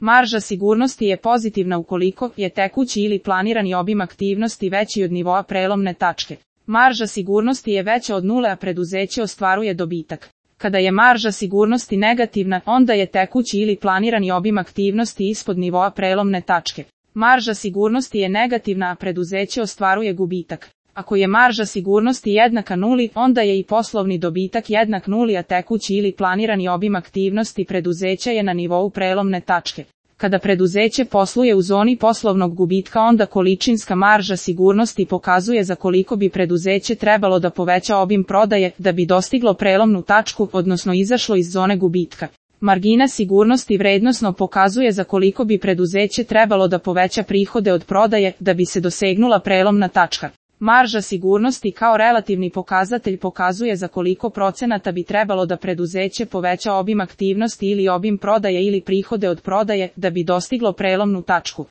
Marža sigurnosti je pozitivna ukoliko je tekući ili planirani obim aktivnosti veći od nivoa prelomne tačke. Marža sigurnosti je veća od nule, a preduzeće ostvaruje dobitak. Kada je marža sigurnosti negativna, onda je tekući ili planirani obim aktivnosti ispod nivoa prelomne tačke. Marža sigurnosti je negativna, a preduzeće ostvaruje gubitak. Ako je marža sigurnosti jednaka nuli, onda je i poslovni dobitak jednak nuli, a tekući ili planirani obim aktivnosti preduzeća je na nivou prelomne tačke. Kada preduzeće posluje u zoni poslovnog gubitka, onda količinska marža sigurnosti pokazuje za koliko bi preduzeće trebalo da poveća obim prodaje da bi dostiglo prelomnu tačku, odnosno izašlo iz zone gubitka. Margina sigurnosti vrednosno pokazuje za koliko bi preduzeće trebalo da poveća prihode od prodaje da bi se dosegnula prelomna tačka. Marža sigurnosti kao relativni pokazatelj pokazuje za koliko procenata bi trebalo da preduzeće poveća obim aktivnosti ili obim prodaje ili prihode od prodaje da bi dostiglo prelomnu tačku.